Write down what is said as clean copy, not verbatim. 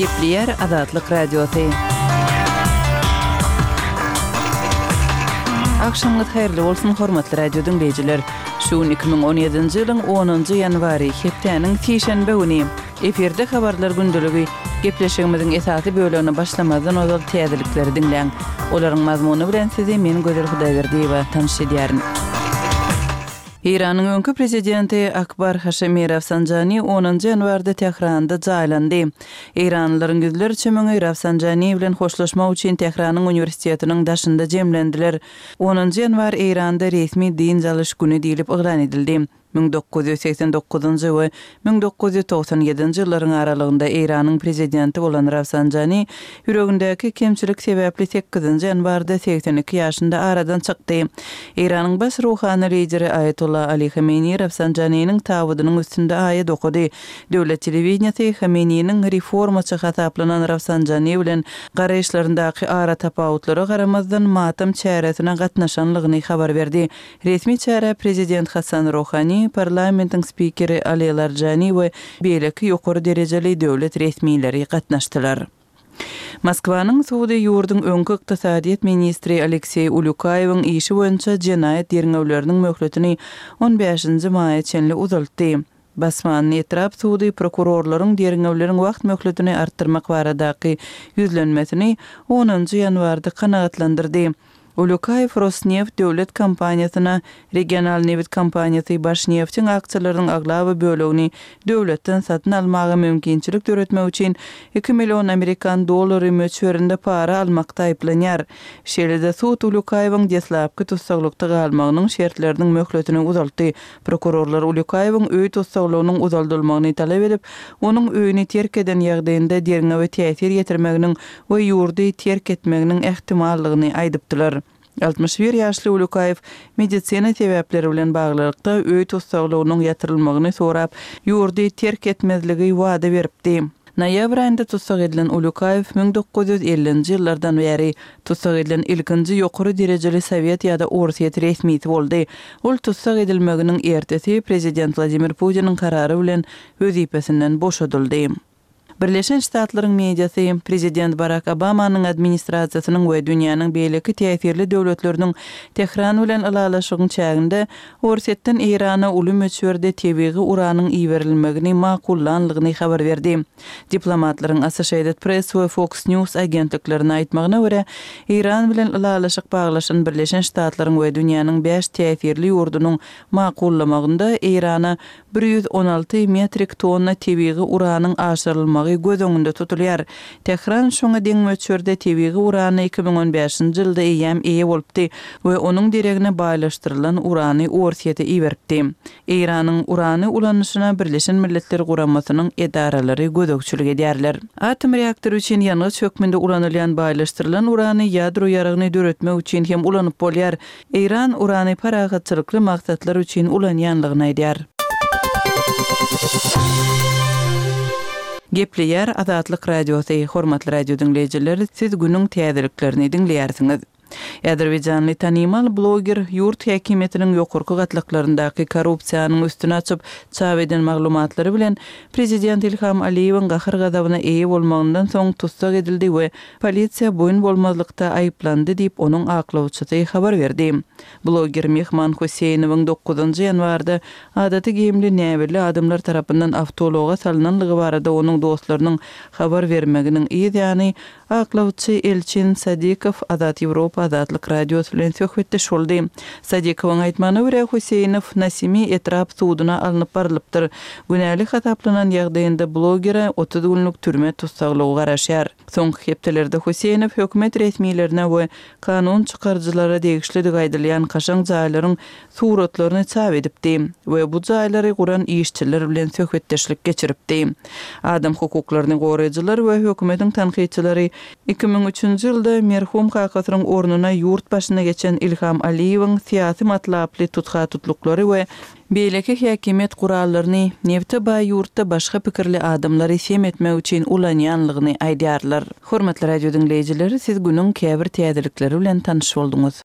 Gepleyer Azatlyk Radiosu. Akşamlar hayırlı olsun hormatly radio dinleyijiler. Şu 2017-nji ýylyň 10-njy ýanwary hepdeniň şeýşembe güni eferde habarlar gündüligi gepleşigimiziň esasy bölümini başlamadan ozal täzelikleri dinleň. Olaryň mazmuny bilen sizi men Gözel Hudaýberdiýewa tanış edýärin. İran'ın önkü prezidenti Akbar Hashemi Rafsanjani 10-njy ýanwarda Tehranda jaýlandy. İranlylaryň gözleri çömeňi Rafsanjani bilen hoşlaşmak üçin Tehranyň uniwersitetiniň daşynda jemlendiler. 10-njy ýanwar İranda resmi din jalyş güni diýilip oglan edildi. 1989-njy we 1997-nji ýyllaryň aralygynda Iranyň prezidenti bolan Rafsanjani ýüregindäki kemçilik sebäpli 8-nji ýanwarda 82 ýaşynda aradan çykdy. Iranyň baş ruhany lideri Ayatollah Ali Khamenei Rafsanjani'niň tawydynyň üstünde aýat okudy. Döwlet telewizionysy Khamenei'niň reformaçy hataplanan Rafsanjani bilen garaýşlaryndaky ara tapawutlary garamazdan matam çäresine gatnaşanlygyny habar berdi. Resmi çäre prezident Hasan Rouhani, parlamentin spikeri Ali Larjani we beýleki ýokary derejeli döwlet resmileri gatnaşdylar. Moskwanyň Suudi ýurduň öňkü ykdysadyýet ministri Aleksey Ulyukaýewiň işi boýunça jenaýat ýerňewleriniň möhletini 15-nji maýa çenli uzaltdy. Basmanyň etrap Suudi prokurorlaryň ýerňewleriň wagt möhletini artdyrmak baradaky ýüzlenmesini 10-njy ýanwarda kanagatlandyrdy. Ulyukaýew Rosneft döwlet kompaniýasyna regional neft kompaniýasy baş neftiň aksiýalarynyň aglaby bölegini döwletden satyn almagy mümkinçilik töretmek üçin 2 million Amerikan dollary möçberinde para almakda aýplanýar. Şeýle-de Suud Ulyukaýewiň deslapky tutsaklykda galmagynyň şertleriniň möhletini uzaltdy. Prokurorlar Ulyukaýewiň öý tutsaklygynyň uzaldylmagyny talap edip, onuň öýüni terk eden ýagdaýynda derňewe täsir ýetirmeginiň we ýurdy terk etmeginiň ähtimallygyny aýdypdylar. 61 ýaşly Ulyukaýew medisina sebäpleri bilen baglykda öý tutsaklygynyň ýatyrylmagyny sorap, ýurdy terk etmezligi wada beripdi. Noýabr aýynda tutsak edilen Ulyukaýew 1950-nji ýyllardan beri tutsak edilen ilkinji ýokary derejeli Sowet ýa-da Orsiýet resmisi boldy. Ol tutsak edilmeginiň ertesi prezident Vladimir Putiniň karary bilen wezipesinden boşadyldy. Birleşen Ştatlaryň mediasy prezident Barack Obamanyň administrasiýasynyň we dünýäniň beýleki täsirli döwletleriniň Tehran bilen alalaşygyň çäginde Orsiýetden Irana uly möçberde tebiği uranyň iýerilmegini makullanlygyny habar berdi. Diplomatlaryň Associated Press we Fox News agentliklerine aýtmagyna görä, Iran bilen alalaşyk baglaşan Birleşen Ştatlaryň we dünýäniň 5 täsirli ýurdunyň makullamagynda Irana 116 metrik tonna tebiği uranyň aşyrylmagy göz öňünde tutulýar. Tehran şoňa deň möçberde tebiği urany 2015-nji ýylda eýe bolupdy we onuň diregine baýlaşdyrylan urany Orsiýete iýeripdi. Iranyň urany ulanyşyna Birleşen Milletler Guramasynyň edaralary gödökçülük edýärler. Atom reaktory üçin ýanyş hökmünde ulanylýan baýlaşdyrylan urany ýadro ýaragyny döretmek üçin hem ulanyp bolýar. Iran urany paragatçylykly maksatlar üçin ulanýanlygyny aýdýar. Gepleyer Azatlyk Radiosu, hormatly radio dinleyijiler, siz günüň täzeliklerini dinleýärsiňiz. Azerbaýjanly tanymal bloger ýurt häkimetiniň ýokurky gatlyklaryndaki korrupsiýanyň üstüne açyp çap eden maglumatlary bilen prezident İlham Aliýewiň gahyr gazabyna eýe bolmagyndan soň tutsak edildi we polisiýa boyun bolmazlykda aýplandy diýip onuň aklawçysy habar berdi. Bloger Mehman Hüseynowyň 9-njy ýanwarda adaty gemli näwirli adamlar tarapyndan awtologa salynanlygy barada onuň dostlarynyň habar bermeginiň ýa-ni aklawçy Elçin Sadikow Azat Ýewropa Azatlyk Radiosu bilen söhbetde şoldy. Sadikowyň aýtmagyna görä Hüseynow Nasimi etrap suwdyna alınıp barlypdyr. Günälik hataplanan ýagdaýynda blogera 30 günlük türme tutsaklygy garaşýar. Soňky hepdelerde Hüseynow hökümet resmiýetlerine we kanun çykarjylara degişli gaýdylýan kaşaň jaýlaryň suratlaryny çap edipdi we bu jaýlary guran işçiler bilen söhbetdeşlik geçiripdi. Adam hukuklaryny goraýjylar we hökümetiň tanqidçileri 2003-nji ýylda merhum Kakasyň ornuna ýurt başyna geçen İlham Aliýewiň syýasy matlaply tutga tutluklary we beýleki häkimet gurallaryny nefte baý ýurtda başga pikirli adamlary sem etmek üçin ulanýanlygyny aýdýarlar. Hormatly radio dinleýijiler, siz günüň käbir täzelikleri bilen tanyş bolduňuz.